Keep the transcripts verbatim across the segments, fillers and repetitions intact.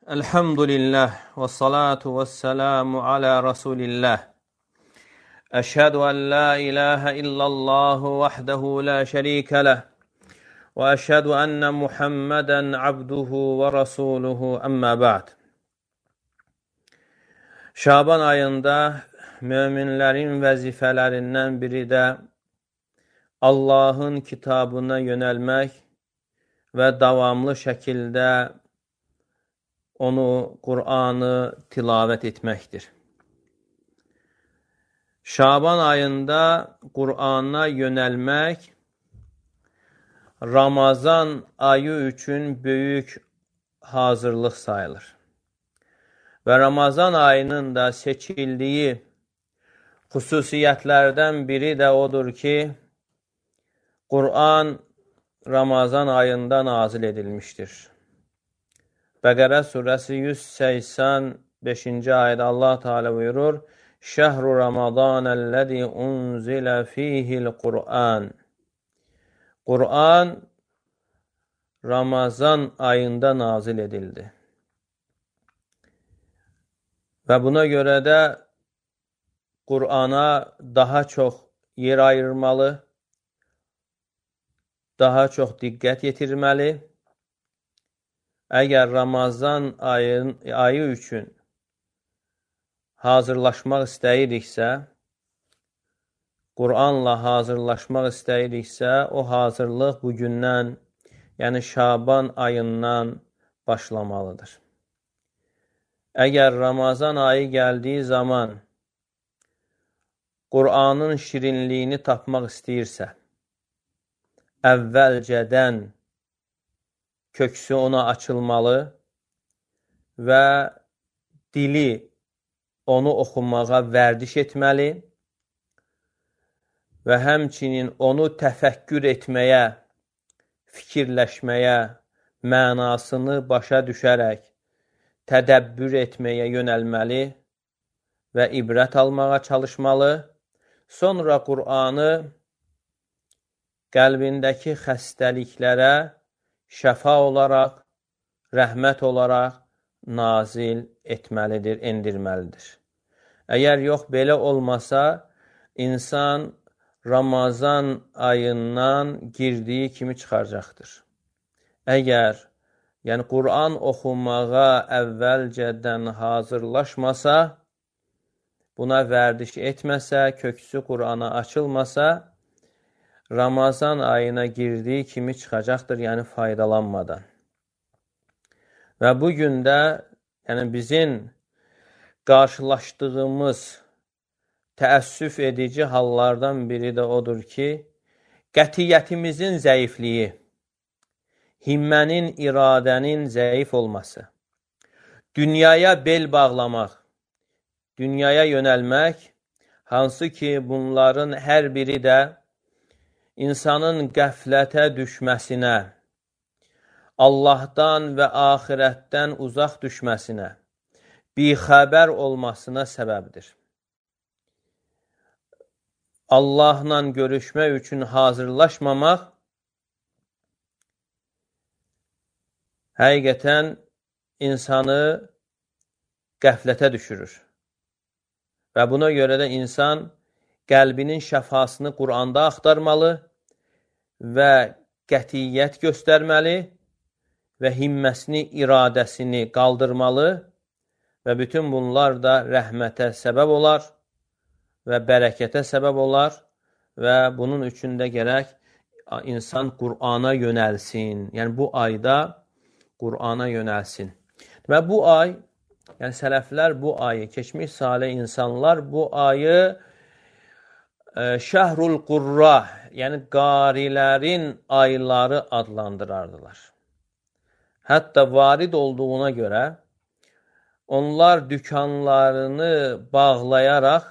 Elhamdülillah və salatu və selamu alə Rasulillah. Əşhədu ən la ilahə illallahu vəhdəhu la şərikə ləh və əşhədu ənnə Muhammədən abduhu və rasuluhu əmmə ba'd. Şaban ayında möminlərin vəzifələrindən biri də Allahın kitabına yönəlmək və davamlı şəkildə onu, Qur'anı tilavət etməkdir. Şaban ayında Qur'ana yönəlmək Ramazan ayı üçün böyük hazırlıq sayılır. Və Ramazan ayının da seçildiyi xüsusiyyətlərdən biri də odur ki, Qur'an Ramazan ayında nazil edilmişdir. Bəqərə surəsi yüz səksən beşinci ayədə Allah Teala buyurur: Şəhru Ramazanəl-ləzi unzilə fihil Qur'an. Qur'an Ramazan ayında nazil edildi. Və buna görə də Qur'ana daha çox yer ayırmalı, daha çox diqqət yetirməli. Əgər Ramazan ayın, ayı üçün hazırlaşmaq istəyiriksə, Qur'anla hazırlaşmaq istəyiriksə, o hazırlıq bugündən, yəni Şaban ayından başlamalıdır. Əgər Ramazan ayı gəldiyi zaman Qur'anın şirinliyini tapmaq istəyirsə, əvvəlcədən köksü ona açılmalı və dili onu oxumağa vərdiş etməli və həmçinin onu təfəkkür etməyə, fikirləşməyə, mənasını başa düşərək, tədəbbür etməyə yönəlməli və ibrət almağa çalışmalı. Sonra Qur'anı qəlbindəki xəstəliklərə şəfa olaraq, rəhmət olaraq nazil etməlidir, endirməlidir. Əgər yox, belə olmasa, insan Ramazan ayından girdiyi kimi çıxaracaqdır. Əgər yəni Qur'an oxumağa əvvəlcədən hazırlaşmasa, buna vərdiş etməsə, köksü Qur'ana açılmasa, Ramazan ayına girdiyi kimi çıxacaqdır, yəni faydalanmadan. Və bugün də yəni bizim qarşılaşdığımız təəssüf edici hallardan biri də odur ki, qətiyyətimizin zəifliyi, himmənin, iradənin zəif olması, dünyaya bel bağlamaq, dünyaya yönəlmək, hansı ki bunların hər biri də insanın qəflətə düşməsinə, Allahdan və axirətdən uzaq düşməsinə, bixəbər olmasına səbəbdir. Allahla görüşmək üçün hazırlaşmamaq həqiqətən insanı qəflətə düşürür. Və buna görə də insan qəlbinin şəfasını Qur'anda axtarmalı və qətiyyət göstərməli və himməsini, iradəsini qaldırmalı və bütün bunlar da rəhmətə səbəb olar və bərəkətə səbəb olar və bunun üçün də gərək insan Qur'ana yönəlsin. Yəni bu ayda Qur'ana yönəlsin. Və bu ay, yəni sələflər bu ayı, keçmiş salih insanlar bu ayı Şəhrul Qurra, yəni qarilərin ayları adlandırardılar. Hətta varid olduğuna görə onlar dükanlarını bağlayaraq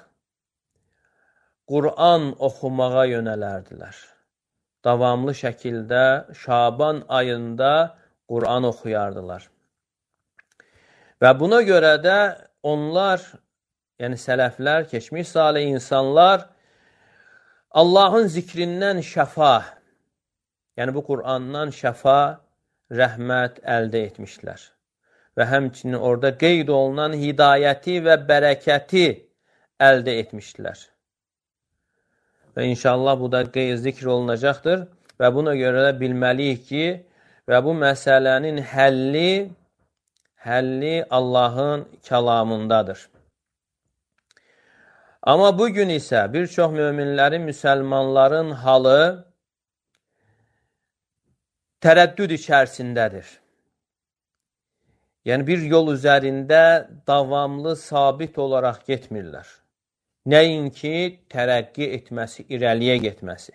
Qur'an oxumağa yönələrdilər. Davamlı şəkildə Şaban ayında Qur'an oxuyardılar. Və buna görə də onlar, yəni sələflər, keçmiş salih insanlar Allahın zikrindən şəfa, yəni bu Qur'andan şəfa, rəhmət əldə etmişlər. və həmçinin orada qeyd olunan hidayəti və bərəkəti əldə etmişdilər. Və inşallah bu da qeyd zikr olunacaqdır və buna görə də bilməliyik ki, və bu məsələnin həlli, həlli Allahın kəlamındadır. Amma bugün isə bir çox möminlərin, müsəlmanların halı tərəddüd içərisindədir. Yəni, bir yol üzərində davamlı, sabit olaraq getmirlər. Nəinki tərəqqi etməsi, irəliyə getməsi.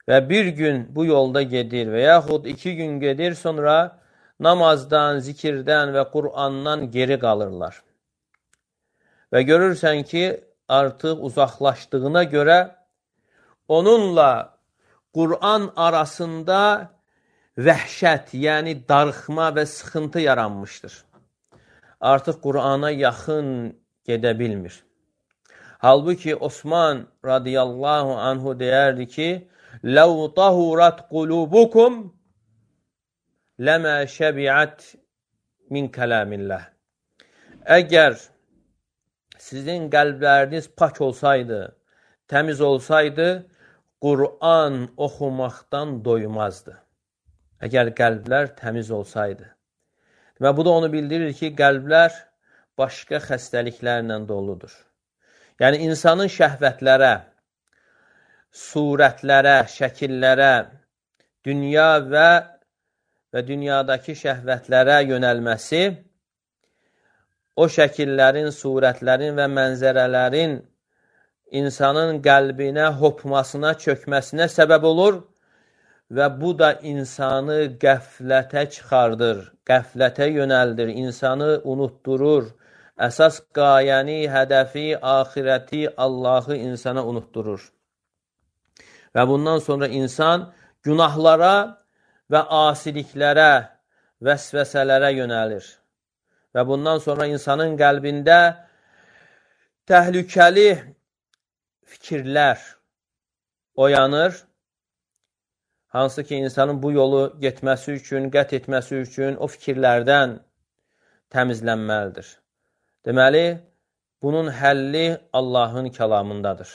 Və bir gün bu yolda gedir və yaxud iki gün gedir, sonra namazdan, zikirdən və Qur'andan geri qalırlar. Və görürsən ki, artıq uzaqlaşdığına görə onunla Qur'an arasında vəhşət, yəni darıxma və sıxıntı yaranmışdır. Artıq Qur'ana yaxın gedə bilmir. Halbuki Osman radiyallahu anhu deyərdi ki, لَوْ طَهُرَتْ قُلُوبُكُمْ لَمَا شَبِعَتْ مِنْ كَلَامِ اللّٰهِ Əgər sizin qəlbləriniz pak olsaydı, təmiz olsaydı, Qur'an oxumaqdan doymazdı. Əgər qəlblər təmiz olsaydı. Və bu da onu bildirir ki, qəlblər başqa xəstəliklərlə doludur. Yəni, insanın şəhvətlərə, surətlərə, şəkillərə, dünya və, və dünyadakı şəhvətlərə yönəlməsi, o şəkillərin, surətlərin və mənzərələrin insanın qəlbinə hopmasına, çökməsinə səbəb olur və bu da insanı qəflətə çıxardır, qəflətə yönəldir, insanı unutdurur, əsas qayəni, hədəfi, axirəti, Allahı insana unutdurur. Və bundan sonra insan günahlara və asiliklərə, vəsvəsələrə yönəlir. Və bundan sonra insanın qəlbində təhlükəli fikirlər oyanır. Hansı ki, insanın bu yolu getməsi üçün, qət etməsi üçün o fikirlərdən təmizlənməlidir. Deməli, bunun həlli Allahın kəlamındadır.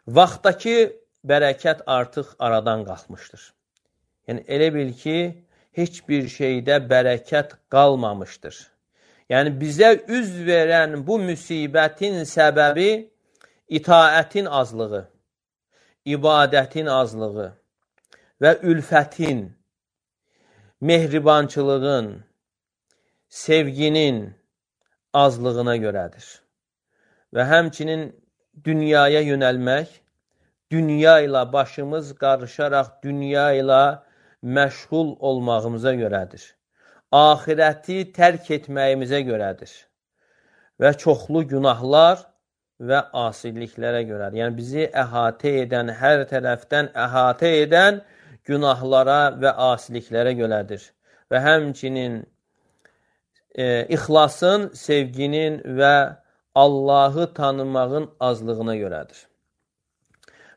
Vaxtdakı bərəkət artıq aradan qalxmışdır. Yəni, elə bil ki, heç bir şeydə bərəkət qalmamışdır. Yəni, bizə üz verən bu müsibətin səbəbi itaətin azlığı, ibadətin azlığı və ülfətin, mehribançılığın, sevginin azlığına görədir. Və həmçinin dünyaya yönəlmək, dünya ilə başımız qarışaraq dünya ilə məşğul olmağımıza görədir. Ahirəti tərk etməyimizə görədir. Və çoxlu günahlar və asiliklərə görədir. Yəni, bizi əhatə edən, hər tərəfdən əhatə edən günahlara və asiliklərə görədir. Və həmçinin e, ixlasın, sevginin və Allahı tanımağın azlığına görədir.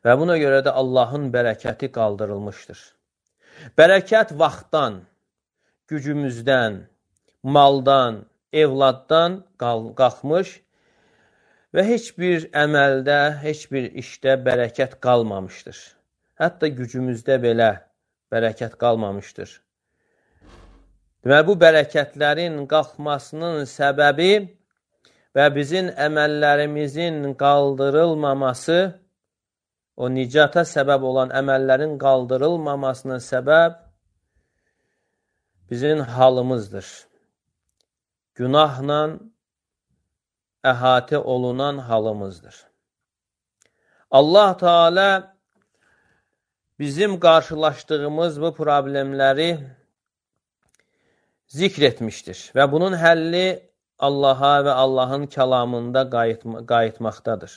Və buna görə də Allahın bərəkəti qaldırılmışdır. Bərəkət vaxtdan, gücümüzdən, maldan, evladdan qalxmış və heç bir əməldə, heç bir işdə bərəkət qalmamışdır. Hətta gücümüzdə belə bərəkət qalmamışdır. Deməli, bu bərəkətlərin qalxmasının səbəbi və bizim əməllərimizin qaldırılmaması, o nicata səbəb olan əməllərin qaldırılmamasına səbəb bizim halımızdır. Günahla əhatə olunan halımızdır. Allah Teala bizim qarşılaşdığımız bu problemləri zikr etmişdir və bunun həlli Allaha və Allahın kəlamında qayıtmaqdadır.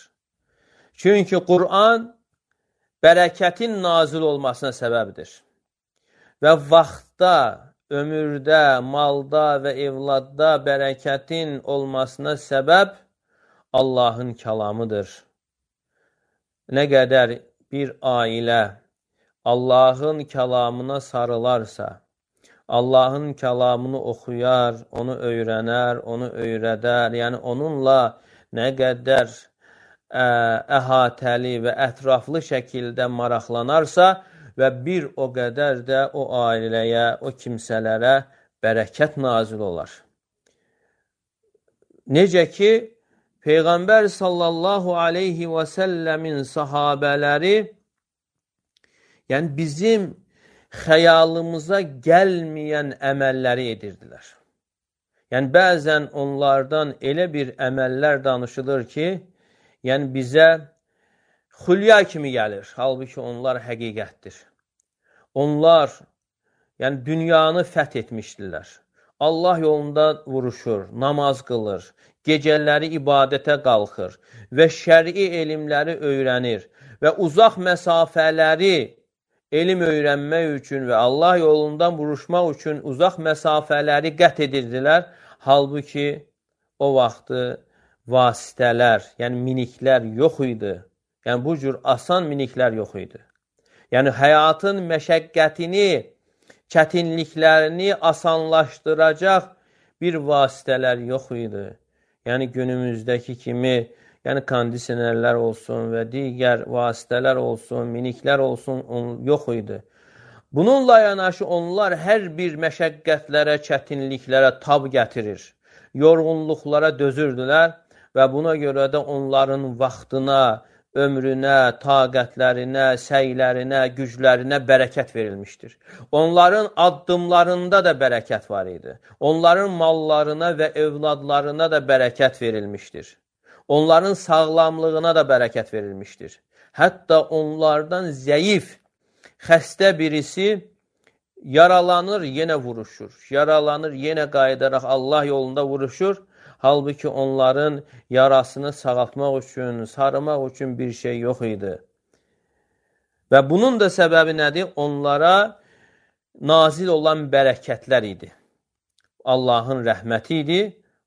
Çünki Qur'an bərəkətin nazil olmasına səbəbdir. Və vaxtda, ömürdə, malda və evladda bərəkətin olmasına səbəb Allahın kəlamıdır. Nə qədər bir ailə Allahın kəlamına sarılarsa, Allahın kəlamını oxuyar, onu öyrənər, onu öyrədər. Yəni, onunla nə qədər ə, əhatəli və ətraflı şəkildə maraqlanarsa və bir o qədər də o ailəyə, o kimsələrə bərəkət nazil olar. Necə ki, Peyğəmbər sallallahu aleyhi və səlləmin sahabələri, yəni bizim xəyalımıza gəlməyən əməlləri edirdilər. Yəni, bəzən onlardan elə bir əməllər danışılır ki, yəni bizə xülya kimi gəlir. Halbuki onlar həqiqətdir. Onlar, yəni dünyanı fəth etmişdilər. Allah yolunda vuruşur, namaz qılır, gecələri ibadətə qalxır və şəri elmləri öyrənir və uzaq məsafələri elm öyrənmək üçün və Allah yolundan vuruşmaq üçün uzaq məsafələri qət edirdilər. Halbuki o vaxtı vasitələr, yəni miniklər yox idi. Yəni bu cür asan miniklər yox idi. Yəni həyatın məşəqqətini, çətinliklərini asanlaşdıracaq bir vasitələr yox idi. Yəni günümüzdəki kimi, yəni kondisionerlər olsun və digər vasitələr olsun, miniklər olsun, yox idi. Bununla yanaşı onlar hər bir məşəqqətlərə, çətinliklərə tab gətirir, yorğunluqlara dözürdülər və buna görə də onların vaxtına, ömrünə, taqətlərinə, səylərinə, güclərinə bərəkət verilmişdir. Onların addımlarında da bərəkət var idi. Onların mallarına və övladlarına da bərəkət verilmişdir. Onların sağlamlığına da bərəkət verilmişdir. Hətta onlardan zəif, xəstə birisi yaralanır, yenə vuruşur. Yaralanır, yenə qayıdaraq Allah yolunda vuruşur. Halbuki onların yarasını sağaltmaq üçün, sarımaq üçün bir şey yox idi. Və bunun da səbəbi nədir? Onlara nazil olan bərəkətlər idi. Allahın rəhməti idi,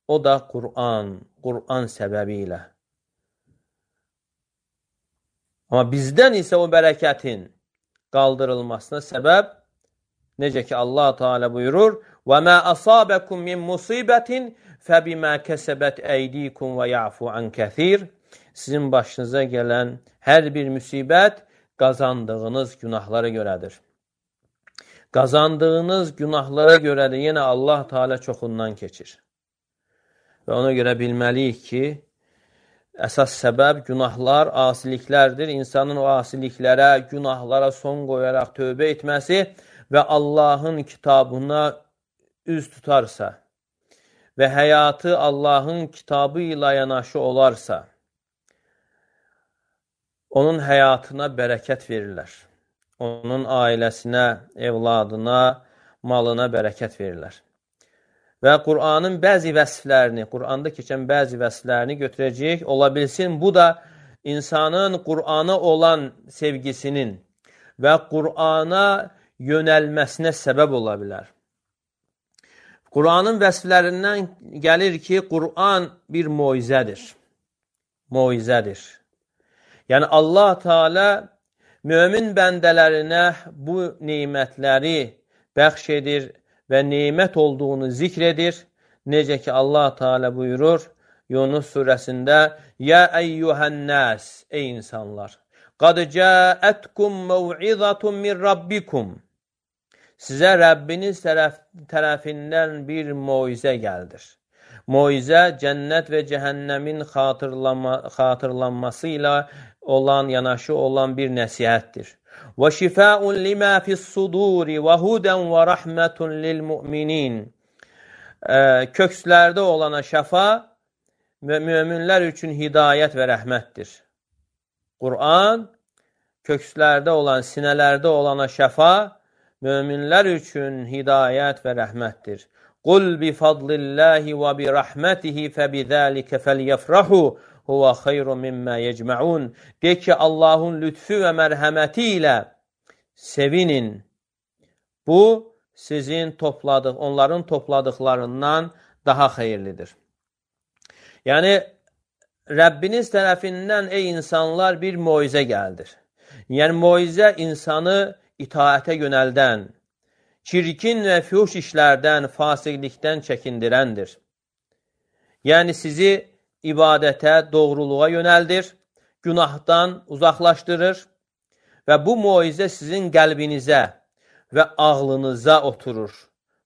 o da Qur'an, Qur'an səbəbi ilə. Amma bizdən isə o bərəkətin qaldırılmasına səbəb, necə ki Allah Teala buyurur, وَمَا أَصَابَكُمْ مِنْ مُصِيبَةٍ فَبِمَا كَسَبَتْ أَيْدِيكُمْ وَيَعْفُ عَنْ كَثِيرٍ. Sizin başınıza gələn hər bir müsibət qazandığınız günahlara görədir. Qazandığınız günahlara görə də yenə Allah Teala çoxundan keçir. Və ona görə bilməliyik ki, əsas səbəb günahlar, asiliklərdir. İnsanın o asiliklərə, günahlara son qoyaraq tövbə etməsi və Allahın kitabına üz tutarsa və həyatı Allahın kitabı ilə yanaşı olarsa, onun həyatına bərəkət verirlər. Onun ailəsinə, evladına, malına bərəkət verirlər. Və Qur'anın bəzi vəsflərini, Qur'anda keçən bəzi vəsflərini götürəcəyik. Ola bilsin, bu da insanın Qur'ana olan sevgisinin və Qur'ana yönəlməsinə səbəb ola bilər. Qur'anın vəsflərindən gəlir ki, Qur'an bir moizədir. Moizədir. Yəni Allah Teala mömin bəndələrinə bu nemətləri bəxş edir və nemət olduğunu zikr edir. Necə ki Allah Teala buyurur Yunus surəsində: "Ya eyyuhan-nas, ey insanlar, qad ca'atkum mev'izatun min rabbikum." Sizə Rəbbiniz tərəf, tərəfindən bir moizə gəldir. Moizə cənnət və cəhənnəmin xatırlama, xatırlanması ilə olan, yanaşı olan bir nəsihətdir. Və şifəun limə fis-suduri və hudən və rəhmətun lil-mu'minin. Kökslərdə olana şəfa və möminlər üçün hidayət və rəhmətdir. Qur'an kökslərdə olan, sinələrdə olana şəfa, möminlər üçün hidayət və rəhmətdir. Qul bi fadlillahi və bi rəhmətihi fəbidəlikə fəlyəfrahu huvə xeyrun mimmə yecməun. De ki, Allahın lütfü və mərhəməti ilə sevinin. Bu, sizin topladıq, onların topladıqlarından daha xeyirlidir. Yəni, Rəbbiniz tərəfindən, ey insanlar, bir moizə gəldir. Yəni, moizə insanı itaətə yönəldən, çirkin və fuhuş işlərdən, fasiqlikdən çəkindirəndir. Yəni sizi ibadətə, doğruluğa yönəldir, günahdan uzaqlaşdırır və bu moizə sizin qəlbinizə və ağlınıza oturur.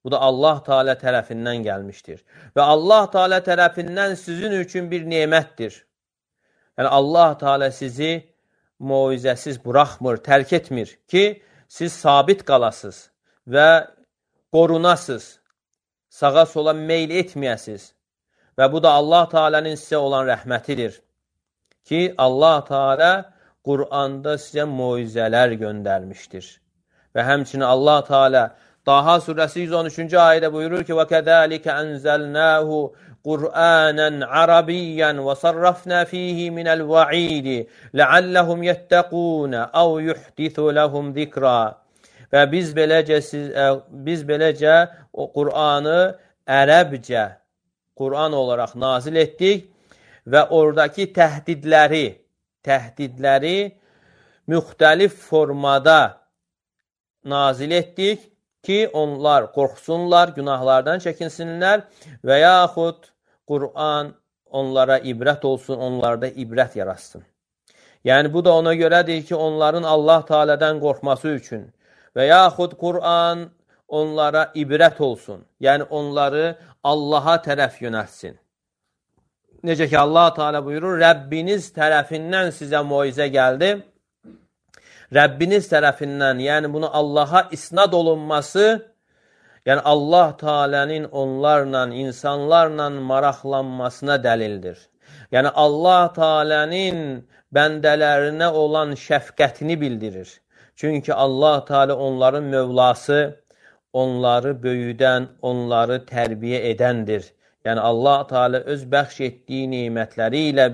Bu da Allah Teala tərəfindən gəlmişdir. Və Allah Teala tərəfindən sizin üçün bir nemətdir. Yəni Allah Teala sizi moizəsiz buraxmır, tərk etmir ki, siz sabit qalasınız və qorunasınız, sağa sola meyl etməyəsiniz. Və bu da Allah Teala'nın sizə olan rəhmətidir ki, Allah Teala Qur'anda sizə moizələr göndərmişdir. Və həmçinin Allah Teala Daha surəsi yüz on üçüncü ayədə buyurur ki: وَكَذَٰلِكَ أَنزَلْنَاهُ قُرْآنًا عَرَبِيًّا وَصَرَّفْنَا فِيهِ مِنَ الْوَعِيدِ لَعَلَّهُمْ يَتَّقُونَ أَوْ يُحْدِثُ لَهُمْ ذِكْرًا. Və biz beləcə, siz, biz beləcə o Qur'anı ərəbcə Qur'an olaraq nazil etdik və oradakı təhdidləri, təhdidləri müxtəlif formada nazil etdik ki, onlar qorxsunlar, günahlardan çəkinsinlər və yaxud Qur'an onlara ibrət olsun, onlarda ibrət yaratsın. Yəni, bu da ona görədir ki, onların Allah Teala'dan qorxması üçün və yaxud Qur'an onlara ibrət olsun. Yəni, onları Allaha tərəf yönəltsin. Necə ki, Allah Teala buyurur, Rəbbiniz tərəfindən sizə moizə gəldi. Rəbbiniz tərəfindən, yəni bunu Allaha isnad olunması, yəni Allah Teala'nın onlarla, insanlarla maraqlanmasına dəlildir. Yəni Allah Teala'nın bəndələrinə olan şəfqətini bildirir. Çünki Allah Teala onların mövlası, onları böyüdən, onları tərbiyə edəndir. Yəni Allah Teala öz bəxş etdiyi nemətləri ilə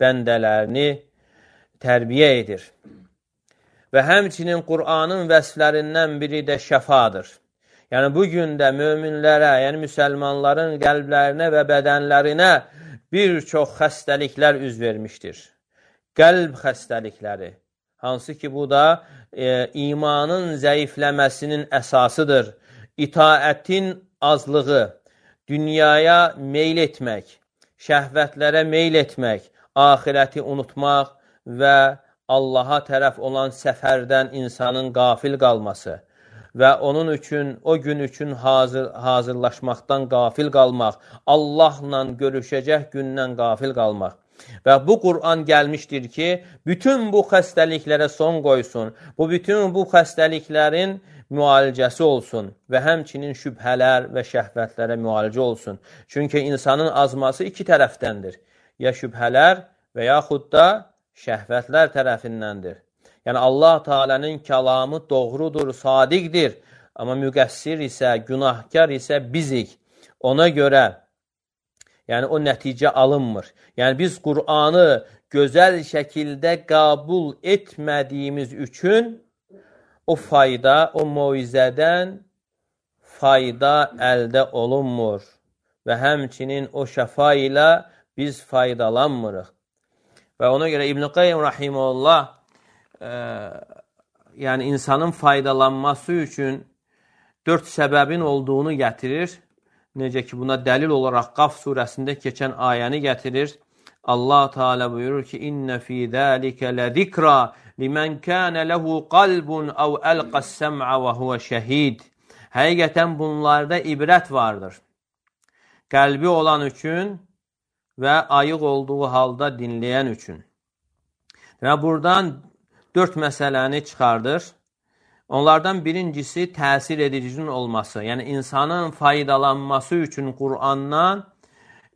bəndələrini tərbiyə edir. Və həmçinin Qur'anın vəsflərindən biri də şəfadır. Yəni, bugün də möminlərə, yəni müsəlmanların qəlblərinə və bədənlərinə bir çox xəstəliklər üz vermişdir. Qəlb xəstəlikləri, hansı ki, bu da e, imanın zəifləməsinin əsasıdır. İtaətin azlığı, dünyaya meyl etmək, şəhvətlərə meyl etmək, axirəti unutmaq və Allaha tərəf olan səfərdən insanın qafil qalması və onun üçün, o gün üçün hazır, hazırlaşmaqdan qafil qalmaq, Allahla görüşəcək gündən qafil qalmaq. Və bu Qur'an gəlmişdir ki, bütün bu xəstəliklərə son qoysun, bu bütün bu xəstəliklərin müalicəsi olsun və həmçinin şübhələr və şəhvətlərə müalicə olsun. Çünki insanın azması iki tərəfdəndir. Ya şübhələr və yaxud da şəhvətlər tərəfindəndir. Yəni, Allah Teala'nın kəlamı doğrudur, sadiqdir. Amma müqəssir isə, günahkar isə bizik. Ona görə, yəni o nəticə alınmır. Yəni, biz Qur'anı gözəl şəkildə qəbul etmədiyimiz üçün o fayda, o moizədən fayda əldə olunmur. Və həmçinin o şəfa ilə biz faydalanmırıq. Və ona görə İbn-i Qayyim Rahimullah e, yəni insanın faydalanması üçün dörd səbəbin olduğunu gətirir. Necə ki, buna dəlil olaraq Qaf surəsində keçən ayəni gətirir. Allah Teala buyurur ki, İnnə fī zəlikə ləzikra limən kənə ləhu qalbun əv əlqəs səm'ə və huvə şəhid. Həqiqətən bunlarda ibrət vardır. Qəlbi olan üçün və ayıq olduğu halda dinləyən üçün. Və buradan dörd məsələni çıxardır. Onlardan birincisi təsir edicinin olması. Yəni, insanın faydalanması üçün Qur'andan,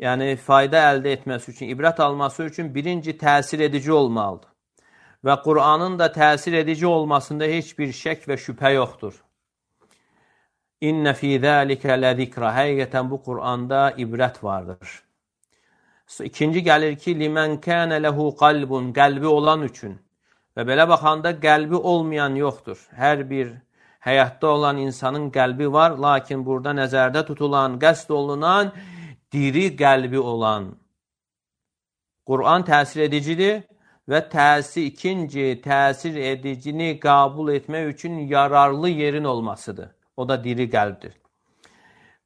yəni fayda əldə etməsi üçün, ibrət alması üçün birinci təsir edici olmalıdır. Və Qur'anın da təsir edici olmasında heç bir şək və şübhə yoxdur. İnnə fī zəlikə ləzikra. Həqiqətən bu Qur'anda ibrət vardır. İkinci gəlir ki, limən kənə ləhu qalbun, qəlbi olan üçün. Və belə baxanda qəlbi olmayan yoxdur. Hər bir həyatda olan insanın qəlbi var, lakin burada nəzərdə tutulan, qəsd olunan, diri qəlbi olan. Qur'an təsir edicidir və təsir, ikinci təsir edicini qəbul etmək üçün yararlı yerin olmasıdır. O da diri qəlbdir.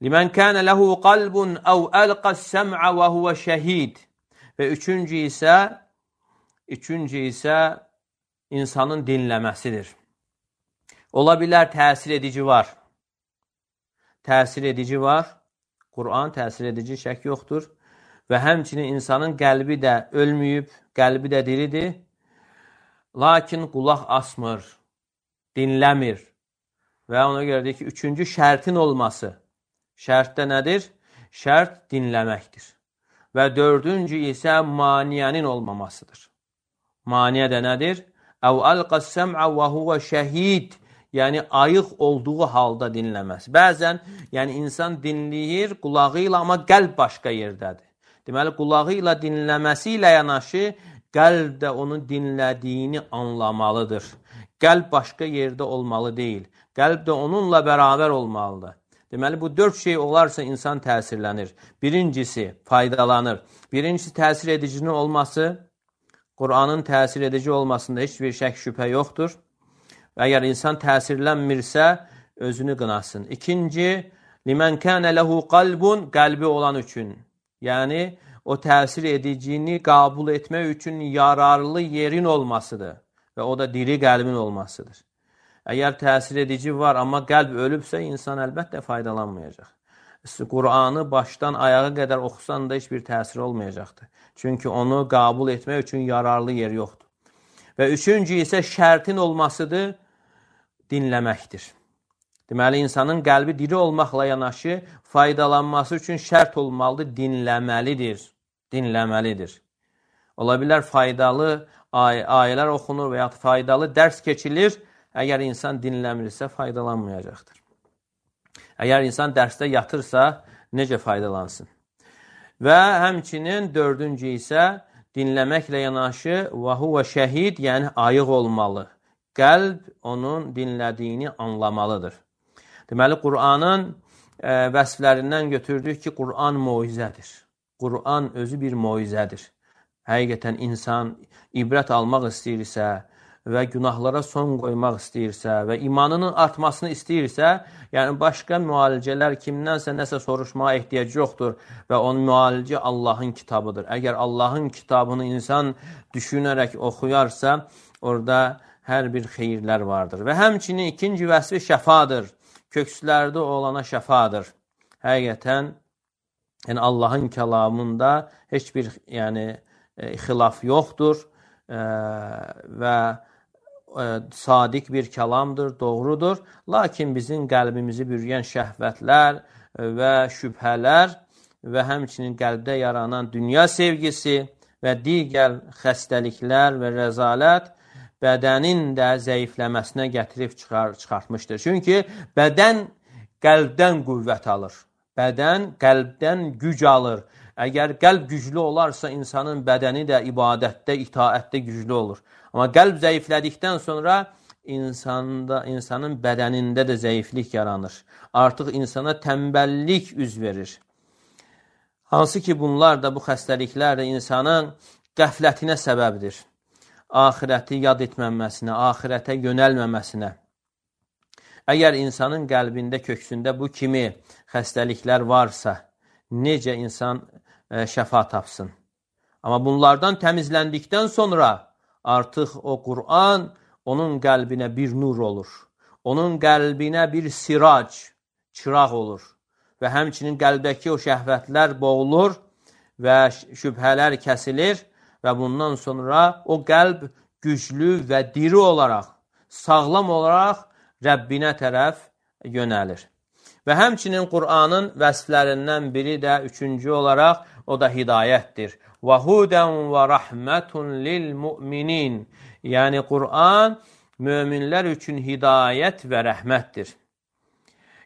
Limən kənə ləhu qalbun əv əlqəs səm'ə və huvə şəhid. Və üçüncü isə, üçüncü isə insanın dinləməsidir. Ola bilər təsir edici var. Təsir edici var. Quran təsir edici, şək yoxdur. Və həmçinin insanın qəlbi də ölməyib, qəlbi də diridir. Lakin qulaq asmır, dinləmir. Və ona görə deyir ki, üçüncü şərtin olması. Şərt də nədir? Şərt dinləməkdir. Və dördüncü isə maniyənin olmamasıdır. Maniyə də nədir? Əv əlqəs səm'ə və huvə şəhid. Yəni, ayıq olduğu halda dinləməz. Bəzən, yəni insan dinləyir qulağı ilə, amma qəlb başqa yerdədir. Deməli, qulağı ilə dinləməsi ilə yanaşı, qəlb də onun dinlədiyini anlamalıdır. Qəlb başqa yerdə olmalı deyil. Qəlb də onunla bərabər olmalıdır. Deməli, bu dörd şey olarsa insan təsirlənir. Birincisi, faydalanır. Birincisi, təsir edicinin olması. Quranın təsir edici olmasında heç bir şək şübhə yoxdur. Əgər insan təsirlənmirsə, özünü qınasın. İkinci, limən kənə ləhu qalbun, qəlbi olan üçün. Yəni, o təsir edicini qəbul etmək üçün yararlı yerin olmasıdır. Və o da diri qəlbin olmasıdır. Əgər təsir edici var, amma qəlb ölübsə, insan əlbəttə faydalanmayacaq. Quranı başdan ayağa qədər oxusan da heç bir təsir olmayacaqdır. Çünki onu qəbul etmək üçün yararlı yer yoxdur. Və üçüncü isə şərtin olmasıdır, dinləməkdir. Deməli, insanın qəlbi diri olmaqla yanaşı, faydalanması üçün şərt olmalıdır, dinləməlidir. Dinləməlidir. Ola bilər faydalı ay ayələr oxunur və ya faydalı dərs keçilir, əgər insan dinləmirsə, faydalanmayacaqdır. Əgər insan dərsdə yatırsa, necə faydalansın? Və həmçinin dördüncü isə dinləməklə yanaşı, və huvə şəhid, yəni ayıq olmalı. Qəlb onun dinlədiyini anlamalıdır. Deməli, Quranın e, vəsflərindən götürdük ki, Quran moizədir. Quran özü bir moizədir. Həqiqətən insan ibrət almaq istəyirsə və günahlara son qoymaq istəyirsə və imanının artmasını istəyirsə, yəni başqa müalicələr kimdənsə nəsə soruşmağa ehtiyac yoxdur və onun müalicə Allahın kitabıdır. Əgər Allahın kitabını insan düşünərək oxuyarsa, orada hər bir xeyirlər vardır. Və həmçinin ikinci vəsfi şəfadır. Kökslərdə olana şəfadır. Həqiqətən, yəni Allahın kəlamında heç bir yəni, e, xilaf yoxdur e, və e, sadiq bir kəlamdır, doğrudur. Lakin bizim qəlbimizi bürüyən şəhvətlər və şübhələr və həmçinin qəlbdə yaranan dünya sevgisi və digər xəstəliklər və rəzalət bədənin də zəifləməsinə gətirib çıxar, çıxartmışdır. Çünki bədən qəlbdən qüvvət alır. Bədən qəlbdən güc alır. Əgər qəlb güclü olarsa, insanın bədəni də ibadətdə, itaətdə güclü olur. Amma qəlb zəiflədikdən sonra insanda, insanın bədənində də zəiflik yaranır. Artıq insana tənbəllik üz verir. Hansı ki, bunlar da, bu xəstəliklər də insanın qəflətinə səbəbdir. Axirəti yad etməməsinə, axirətə yönəlməməsinə. Əgər insanın qəlbində, köksündə bu kimi xəstəliklər varsa, necə insan e, şəfa tapsın? Amma bunlardan təmizləndikdən sonra artıq o Quran onun qəlbinə bir nur olur. Onun qəlbinə bir sirac, çıraq olur. Və həmçinin qəlbdəki o şəhvətlər boğulur və şübhələr kəsilir. Və bundan sonra o qəlb güclü və diri olaraq, sağlam olaraq Rəbbinə tərəf yönəlir. Və həmçinin Qur'anın vəsflərindən biri də üçüncü olaraq o da hidayətdir. Və hudən və rəhmətun lil müminin. Yəni Qur'an möminlər üçün hidayət və rəhmətdir.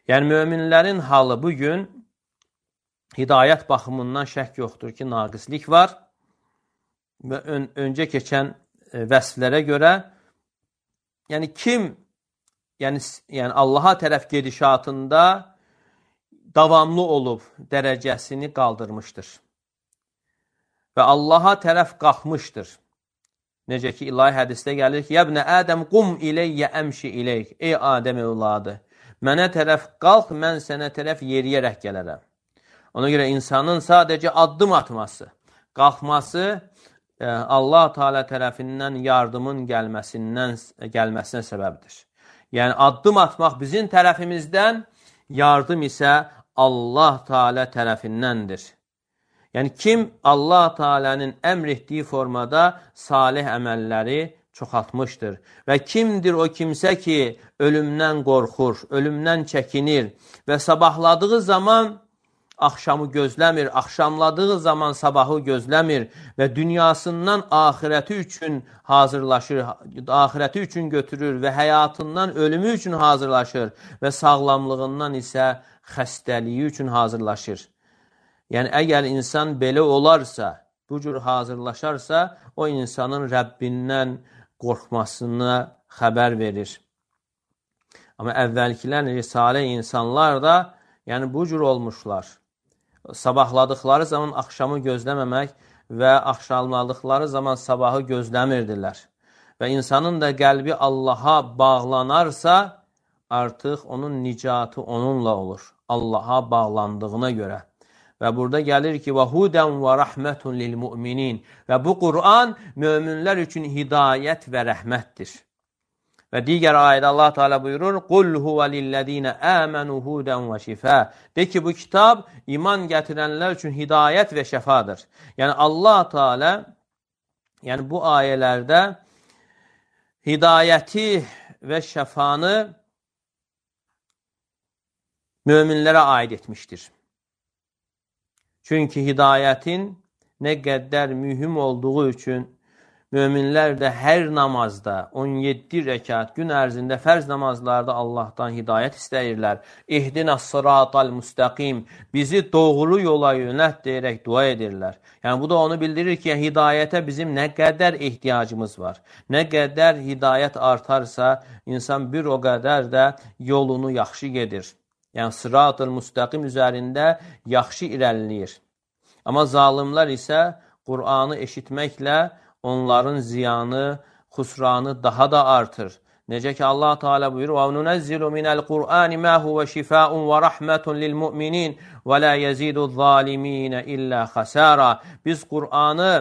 Yəni möminlərin halı bugün hidayət baxımından şək yoxdur ki, naqislik var. Və ön, öncə keçən e, vəsflərə görə, yəni kim yəni, yəni Allaha tərəf gedişatında davamlı olub dərəcəsini qaldırmışdır. Və Allaha tərəf qalxmışdır. Necə ki, ilahi hədisdə gəlir ki, Yəbnə Ədəm qum iləyyə əmşi iləyk. Ey Adəm evladı, Mənə tərəf qalx, mən sənə tərəf yeriyərək gələrəm. Ona görə insanın sadəcə addım atması, qalxması e, Allah Teala tərəfindən yardımın gəlməsindən gəlməsinə səbəbdir. Yəni addım atmaq bizim tərəfimizdən, yardım isə Allah Teala tərəfindəndir. Yəni kim Allah Teala'nın əmr etdiyi formada salih əməlləri çoxaltmışdır. Və kimdir o kimsə ki, ölümdən qorxur, ölümdən çəkinir və sabahladığı zaman axşamı gözləmir, axşamladığı zaman sabahı gözləmir və dünyasından ahirəti üçün hazırlaşır, ahirəti üçün götürür və həyatından ölümü üçün hazırlaşır və sağlamlığından isə xəstəliyi üçün hazırlaşır. Yəni, əgər insan belə olarsa, bu cür hazırlaşarsa, o insanın Rəbbindən qorxmasına xəbər verir. Amma əvvəlkilər, salih insanlar da yəni bu cür olmuşlar. Sabahladıqları zaman axşamı gözləməmək və axşamladıqları zaman sabahı gözləmirdilər. Və insanın da qəlbi Allaha bağlanarsa, artıq onun nicatı onunla olur. Allaha bağlandığına görə. Və burada gəlir ki, وَهُدًا وَرَحْمَةٌ لِلْمُؤْمِنِينَ Və bu Qur'an möminlər üçün hidayət və rəhmətdir. Və digər ayədə Allah Teala buyurur, قُلْ هُوَ لِلَّذ۪ينَ آمَنُوا هُدًا وَشِفَاء De ki, bu kitab iman gətirənlər üçün hidayət və şəfadır. Yəni Allah Teala yəni bu ayələrdə hidayəti və şəfanı möminlərə aid etmişdir. Çünki hidayətin nə qədər mühüm olduğu üçün möminlər də hər namazda on yeddi rəkat gün ərzində fərz namazlarda Allahdan hidayət istəyirlər. İhdinəs sıratal müstəqim bizi doğru yola yönət deyərək dua edirlər. Yəni bu da onu bildirir ki, hidayətə bizim nə qədər ehtiyacımız var. Nə qədər hidayət artarsa, insan bir o qədər də yolunu yaxşı gedir. Yəni sıratal müstəqim üzərində yaxşı irəliləyir. Amma zalimlər isə Qur'anı eşitməklə onların ziyanı, xusranı daha da artır. Necə ki Allah Teala buyurur: "Və nunəzzilu minəl Qur'ani ma huve şifaun və rahmetun lil mu'minin və la yezidu'z-zalimin illə xasara." Biz Qur'anı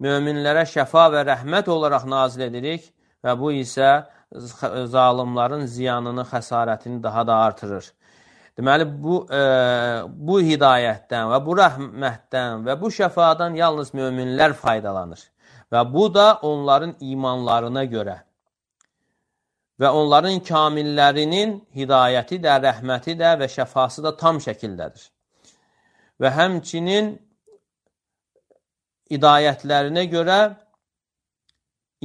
möminlərə şəfa və rəhmət olaraq nazil edirik və bu isə zalimlərin ziyanını, xəsarətini daha da artırır. Deməli, bu, e, bu hidayətdən və bu rəhmətdən və bu şəfadan yalnız möminlər faydalanır. Və bu da onların imanlarına görə və onların kamillərinin hidayəti də, rəhməti də və şəfası da tam şəkildədir. Və həmçinin hidayətlərinə görə,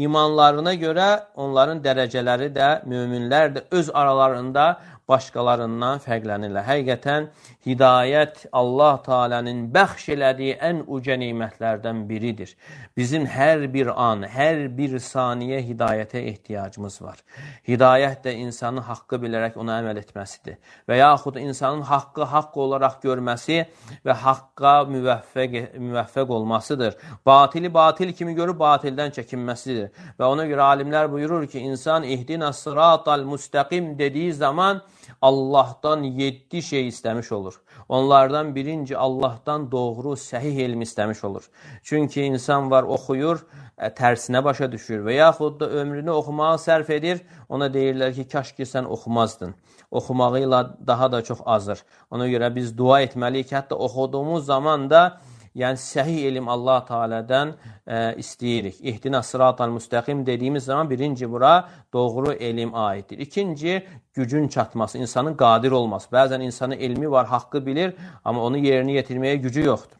imanlarına görə onların dərəcələri də, möminlər də öz aralarında başqalarından fərqlənirlər. Həqiqətən hidayət Allah Teala'nın bəxş elədiyi ən uca nemətlərdən biridir. Bizim hər bir an, hər bir saniyə hidayətə ehtiyacımız var. Hidayət də insanın haqqı bilərək ona əməl etməsidir. Və yaxud insanın haqqı haqq olaraq görməsi və haqqa müvəffəq, müvəffəq olmasıdır. Batili batil kimi görüb batildən çəkinməsidir. Və ona görə alimlər buyurur ki, insan ihdina sıratal müstəqim dediyi zaman Allahdan yeddi şey istəmiş olur. Onlardan birinci Allahdan doğru, səhih elm istəmiş olur. Çünki insan var, oxuyur, tərsinə başa düşür və yaxud da ömrünü oxumağa sərf edir. Ona deyirlər ki, kaş ki sən oxumazdın. Oxumağıyla daha da çox azır. Ona görə biz dua etməliyik. Hətta oxuduğumuz zaman da yəni səhih elm Allah Teala'dan e, istəyirik. İhdina sıratal müstəqim dediyimiz zaman birinci bura doğru elm aiddir. İkinci, gücün çatması, insanın qadir olması. Bəzən insanın elmi var, haqqı bilir, amma onu yerinə yetirməyə gücü yoxdur.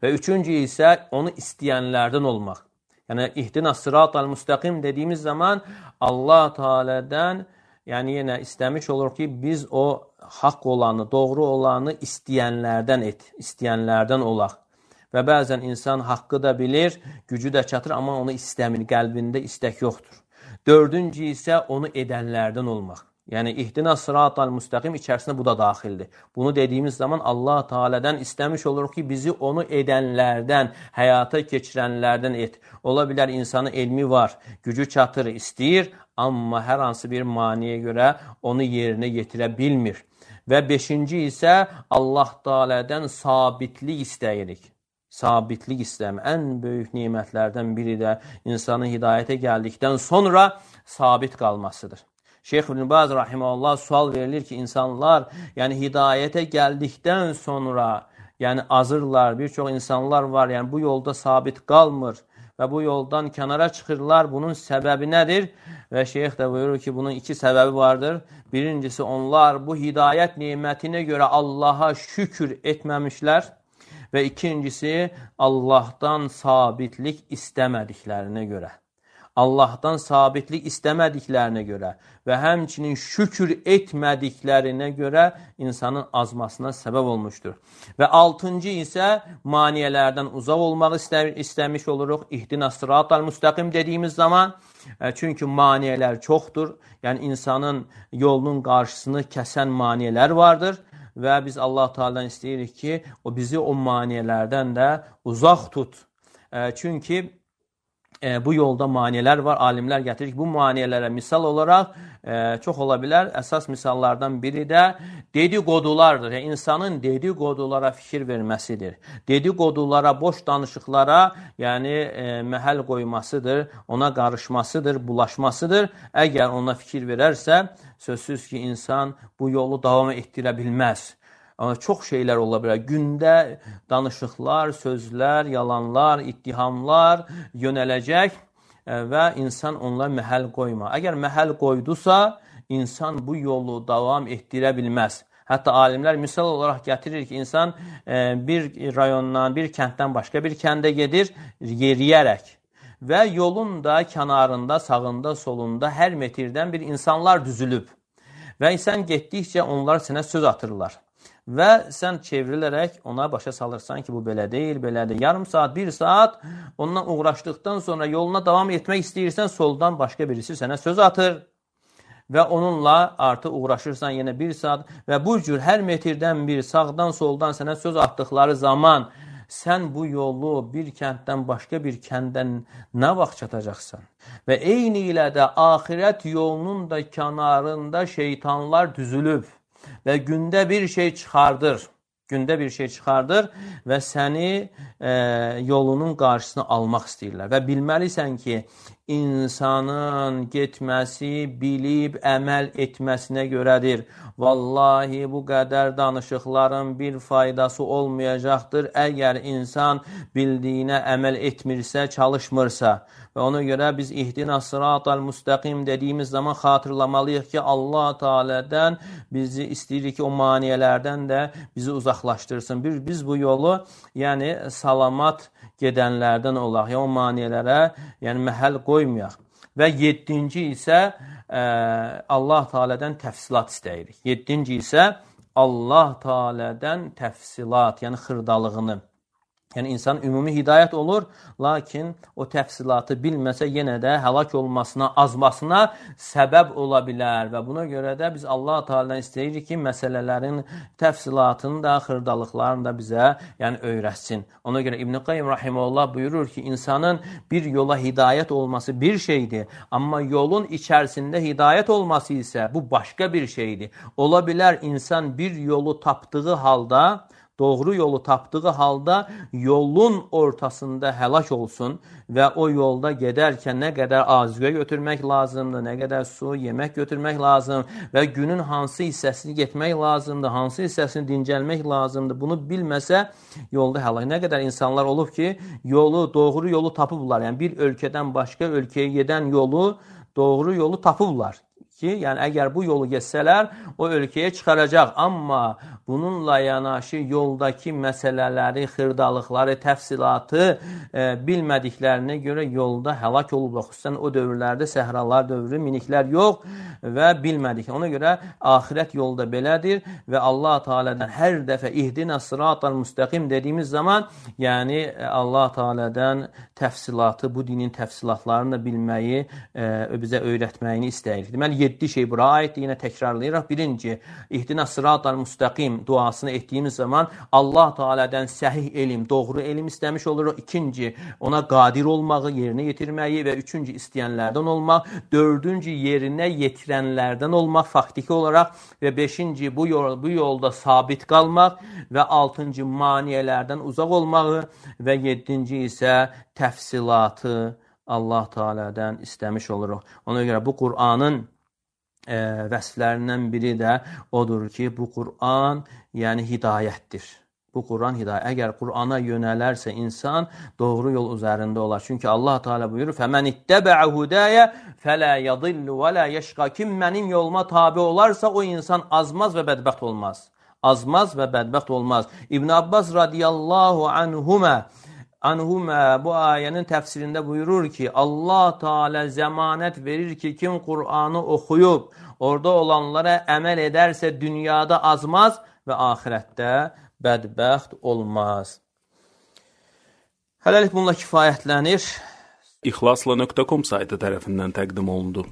Və üçüncü isə onu istəyənlərdən olmaq. Yəni ihdina sıratal müstəqim dediyimiz zaman Allah Teala'dan yəni yenə istəmiş olur ki, biz o haqq olanı, doğru olanı istəyənlərdən et, istəyənlərdən olaq. Və bəzən insan haqqı da bilir, gücü də çatır, amma onu istəmir, qəlbində istək yoxdur. Dördüncü isə onu edənlərdən olmaq. Yəni ihdina sıratal müstəqim içərisində bu da daxildir. Bunu dediyimiz zaman Allah Teala'dan istəmiş oluruq ki, bizi onu edənlərdən, həyata keçirənlərdən et. Ola bilər insanın elmi var, gücü çatır, istəyir, amma hər hansı bir maniyə görə onu yerinə yetirə bilmir. Və beşinci isə Allah Teala'dan sabitlik istəyirik. Sabitlik istəyəm. Ən böyük nemətlərdən biri də insanın hidayətə gəldikdən sonra sabit qalmasıdır. Şeyx İbn Baz rahimehullah sual verilir ki, insanlar yəni hidayətə gəldikdən sonra yəni azırlar. Bir çox insanlar var, yəni bu yolda sabit qalmır və bu yoldan kənara çıxırlar. Bunun səbəbi nədir? Və şeyx də buyurur ki, bunun iki səbəbi vardır. Birincisi, onlar bu hidayət nemətinə görə Allaha şükür etməmişlər və ikincisi, Allahdan sabitlik istəmədiklərinə görə. Allahdan sabitlik istəmədiklərinə görə və həmçinin şükür etmədiklərinə görə insanın azmasına səbəb olmuşdur. Və altıncı isə maniyələrdən uzaq olmaq istə istəmiş oluruq. İhdina sıratal müstəqim dediyimiz zaman, çünki maniyələr çoxdur. Yəni insanın yolunun qarşısını kəsən maniyələr vardır. Və biz Allah Teala'dan istəyirik ki, o bizi o maniyələrdən də uzaq tut. Çünki E, bu yolda maniyələr var. Alimlər gətirir ki, bu maniyələrə misal olaraq e, çox ola bilər. Əsas misallardan biri də dedikodulardır. Yəni, insanın dedikodulara fikir verməsidir. Dedikodulara, boş danışıqlara yəni, e, məhəl qoymasıdır, ona qarışmasıdır, bulaşmasıdır. Əgər ona fikir verərsə, sözsüz ki, insan bu yolu davam etdirə bilməz. Amma çox şeylər ola bilər. Gündə danışıqlar, sözlər, yalanlar, ittihamlar yönələcək və insan onlara məhəl qoyma. Əgər məhəl qoydusa, insan bu yolu davam etdirə bilməz. Hətta alimlər misal olaraq gətirir ki, insan bir rayondan, bir kənddən başqa bir kəndə gedir, yeriyərək. Və yolun da kənarında, sağında, solunda hər metrdən bir insanlar düzülüb. Və insan getdikcə onlar sənə söz atırlar. Və sən çevrilərək ona başa salırsan ki, bu belə deyil, belədir. Yarım saat, bir saat ondan uğraşdıqdan sonra yoluna davam etmək istəyirsən, soldan başqa birisi sənə söz atır. Və onunla artıq uğraşırsan yenə bir saat və bu cür hər metrdən bir sağdan, soldan sənə söz atdıqları zaman sən bu yolu bir kənddən başqa bir kəndən nə vaxt çatacaqsan? Və eyni ilə də axirət yolunun da kənarında şeytanlar düzülüb. Və gündə bir şey çıxardır, gündə bir şey çıxardır və səni e, yolunun qarşısına almaq istəyirlər. Və bilməlisən ki, insanın getməsi, bilib, əməl etməsinə görədir. Vallahi bu qədər danışıqların bir faydası olmayacaqdır, əgər insan bildiyinə əməl etmirsə, çalışmırsa. Və ona görə biz ihdina sıratal müstəqim dediyimiz zaman xatırlamalıyıq ki, Allah Teala'dan bizi istəyirik ki, o maniyələrdən də bizi uzaqlaşdırsın. Biz, biz bu yolu yəni salamat gedənlərdən olaq, yəni o maniyələrə yəni məhəl qoymayaq. Və yeddinci isə ə, Allah Teala'dan təfsilat istəyirik. Yeddinci isə Allah Teala'dan təfsilat, yəni xırdalığını. Yəni, insan ümumi hidayət olur, lakin o təfsilatı bilməsə yenə də həlak olmasına, azmasına səbəb ola bilər. Və buna görə də biz Allah Teala'dan istəyirik ki, məsələlərin təfsilatını da, xırdalıqlarını da bizə yəni, öyrətsin. Ona görə İbn Qayyim rahimehullah buyurur ki, insanın bir yola hidayət olması bir şeydir, amma yolun içərisində hidayət olması isə bu başqa bir şeydir. Ola bilər insan bir yolu tapdığı halda, doğru yolu tapdığı halda yolun ortasında həlak olsun və o yolda gedərkən nə qədər azüqə götürmək lazımdır, nə qədər su, yemək götürmək lazım və günün hansı hissəsini getmək lazımdır, hansı hissəsini dincəlmək lazımdır. Bunu bilməsə yolda həlak. Nə qədər insanlar olub ki, yolu, doğru yolu tapıblar. Yəni bir ölkədən başqa ölkəyə gedən yolu, doğru yolu tapıblar. Ki, yəni əgər bu yolu geçsələr, o ölkəyə çıxaracaq. Amma bununla yanaşı yoldakı məsələləri, xırdalıqları, təfsilatı e, bilmədiklərinə görə yolda həlak olublar. Xüsusən o dövrlərdə səhralar dövrü, miniklər yox və bilmədik. Ona görə axirət yolda belədir və Allah Teala'dan hər dəfə ihdina sıratal müstəqim dediyimiz zaman, yəni Allah Teala'dan təfsilatı, bu dinin təfsilatlarını da bilməyi, e, bizə öyrətməyini istəyirik. Deməli, yeddi şey bura aiddir. Yenə təkrarlayıraq. Birinci, İhdina sıratal müstəqim duasını etdiyimiz zaman Allah Teala'dan səhih elm, doğru elm istəmiş oluruq. İkinci, ona qadir olmağı, yerinə yetirməyi və üçüncü, istəyənlərdən olmaq. Dördüncü, yerinə yetirənlərdən olmaq faktiki olaraq və beşinci, bu, yol, bu yolda sabit qalmaq və altıncı, maniyələrdən uzaq olmağı və yeddinci isə təfsilatı Allah Teala'dan istəmiş oluruq. Ona görə bu Qur'anın e, vəsflərindən biri də odur ki, bu Qur'an yəni hidayətdir. Bu Qur'an hidayət. Əgər Qur'ana yönələrsə insan doğru yol üzərində olar. Çünki Allah Teala buyurur: "Fəmən ittəbə'ə hudaya fələ yadillu və la yeşqa." Kim mənim yoluma tabe olarsa o insan azmaz və bədbəxt olmaz. Azmaz və bədbəxt olmaz. İbn Abbas radiyallahu anhumə Anhumə bu ayənin təfsirində buyurur ki, Allah Teala zəmanət verir ki, kim Qur'anı oxuyub, orada olanlara əməl edərsə dünyada azmaz və axirətdə bədbəxt olmaz. Hələlik bununla kifayətlənir. İxlasla nöqtə com saytı tərəfindən təqdim olundu.